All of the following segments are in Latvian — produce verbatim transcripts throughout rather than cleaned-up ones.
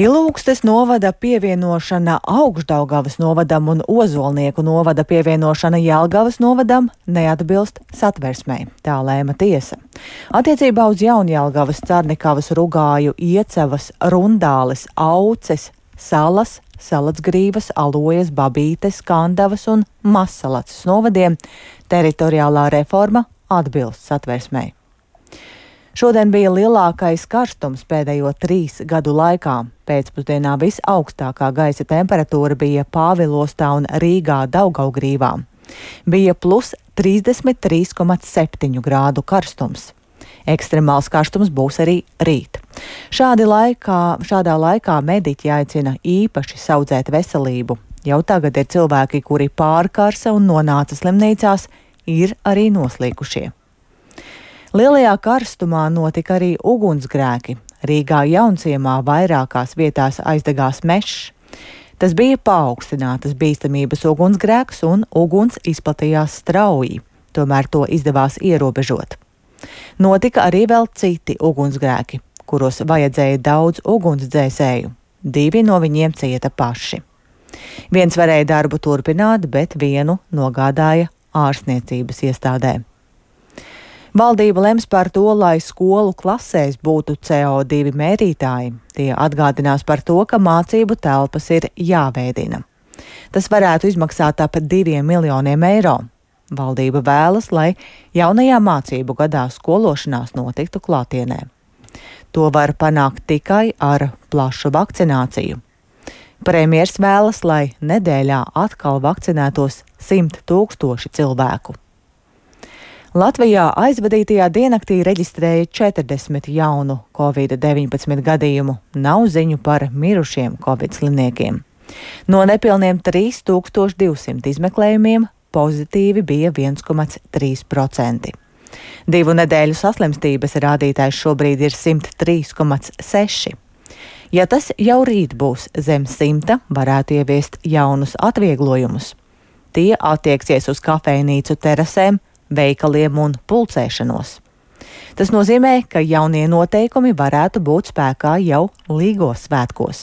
Ilūgstes novada pievienošana Augšdaugavas novadam un Ozolnieku novada pievienošana Jelgavas novadam neatbilst satversmei, tā lēma tiesa. Attiecībā uz Jaunjelgavas, Carnikavas, Rugāju, Iecavas, Rundāles, Auces, Salas, Salacgrīvas, Alojas, Babītes, Kandavas un Mazsalacas novadiem teritoriālā reforma atbilst satversmei. Šodien bija lielākais karstums pēdējo trīs gadu laikā. Pēcpusdienā visaugstākā gaisa temperatūra bija Pāvilostā un Rīgā Daugavgrīvā. Bija plus trīsdesmit trīs komats septiņi grādu karstums. Ekstremāls karstums būs arī rīt. Šādi laikā, šādā laikā mediķi aicina īpaši saudzēt veselību. Jau tagad ir cilvēki, kuri pārkarsa un nonāca slimnīcās, ir arī noslīkušie. Lielajā karstumā notika arī ugunsgrēki. Rīgā Jaunciemā vairākās vietās aizdegās mežs. Tas bija paaugstinātas bīstamības ugunsgrēks un uguns izplatījās strauji, tomēr to izdevās ierobežot. Notika arī vēl citi ugunsgrēki, kuros vajadzēja daudz ugunsdzēsēju. Divi no viņiem cieta paši. Viens varēja darbu turpināt, bet vienu nogādāja ārstniecības iestādē. Valdība lems par to, lai skolu klasēs būtu C O divi mērītāji. Tie atgādinās par to, ka mācību telpas ir jāveidina. Tas varētu izmaksāt ap diviem miljoniem eiro. Valdība vēlas, lai jaunajā mācību gadā skološanās notiktu klātienē. To var panākt tikai ar plašu vakcināciju. Premjers vēlas, lai nedēļā atkal vakcinētos simt tūkstoši cilvēku. Latvijā aizvadītajā diennaktī reģistrēja četrdesmit jaunu covid deviņpadsmit gadījumu. Nav ziņu par mirušiem covid slimniekiem. No nepilniem trīs tūkstoši divsimt izmeklējumiem pozitīvi bija viens komats trīs procenti. Divu nedēļu saslimstības rādītājs šobrīd ir simt trīs komats seši. Ja tas jau rīt būs zem simta, varētu ieviest jaunus atvieglojumus. Tie attieksies uz kafejnīcu terasēm, veikaliem un pulcēšanos. Tas nozīmē, ka jaunie noteikumi varētu būt spēkā jau Līgos svētkos.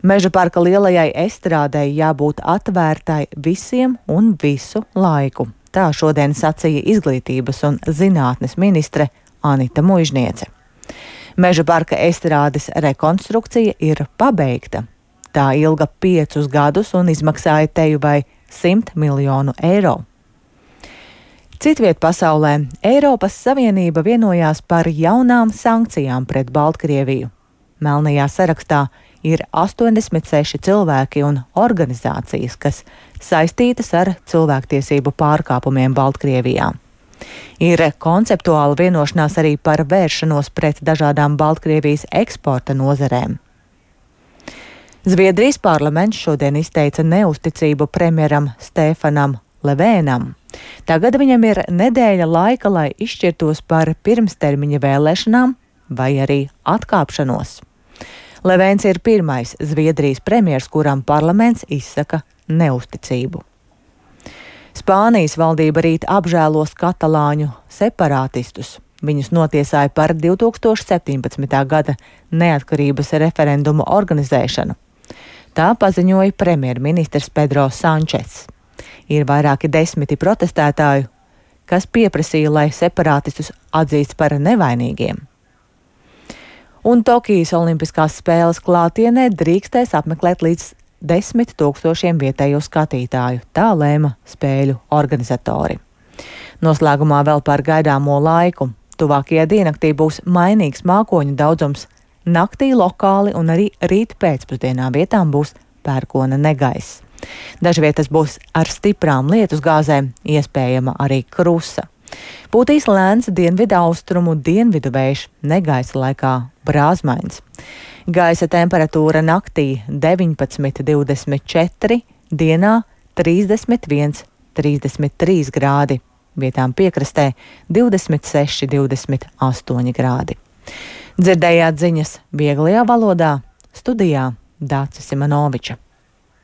Meža parka lielajai estrādei jābūt atvērtai visiem un visu laiku. Tā šodien sacīja izglītības un zinātnes ministre Anita Muižniece. Meža parka estrādes rekonstrukcija ir pabeigta. Tā ilga piecus gadus un izmaksāja teju vai simt miljonu eiro. Citviet pasaulē Eiropas Savienība vienojās par jaunām sankcijām pret Baltkrieviju. Melnajā sarakstā ir astoņdesmit seši cilvēki un organizācijas, kas saistītas ar cilvēktiesību pārkāpumiem Baltkrievijā. Ir konceptuāla vienošanās arī par vēršanos pret dažādām Baltkrievijas eksporta nozarēm. Zviedrijas parlaments šodien izteica neusticību premjeram Stefanam Levēnam. Tagad viņam ir nedēļa laika, lai izšķirtos par pirmstermiņa vēlēšanām vai arī atkāpšanos. Levēns ir pirmais Zviedrijas premjers, kuram parlaments izsaka neusticību. Spānijas valdība rīt apžēlos katalāņu separātistus. Viņus notiesāja par divi tūkstoši septiņpadsmitā gada neatkarības referendumu organizēšanu. Tā paziņoja premjerministrs Pedro Sančes. Ir vairāki desmiti protestētāju, kas pieprasīja, lai separātistus atzīst par nevainīgiem. Un Tokijas olimpiskās spēles klātienē drīkstēs apmeklēt līdz desmit tūkstošiem vietējo skatītāju, tā lēma spēļu organizatori. Noslēgumā vēl par gaidāmo laiku. Tuvākajā diennaktī būs mainīgs mākoņu daudzums, naktī lokāli un arī rīt pēcpusdienā vietām būs pērkona negaiss. Dažvietas būs ar stiprām lietusgāzēm, iespējama arī krusa. Pūtīs lēns dienvidu austrumu dienvidu vējš, negaisa laikā brāzmains. Gaisa temperatūra naktī deviņpadsmit divdesmit četri, dienā trīsdesmit viens trīsdesmit trīs grādi, vietām piekrastē divdesmit seši divdesmit astoņi grādi. Dzirdējāt ziņas vieglajā valodā, studijā Dācis Simanoviča.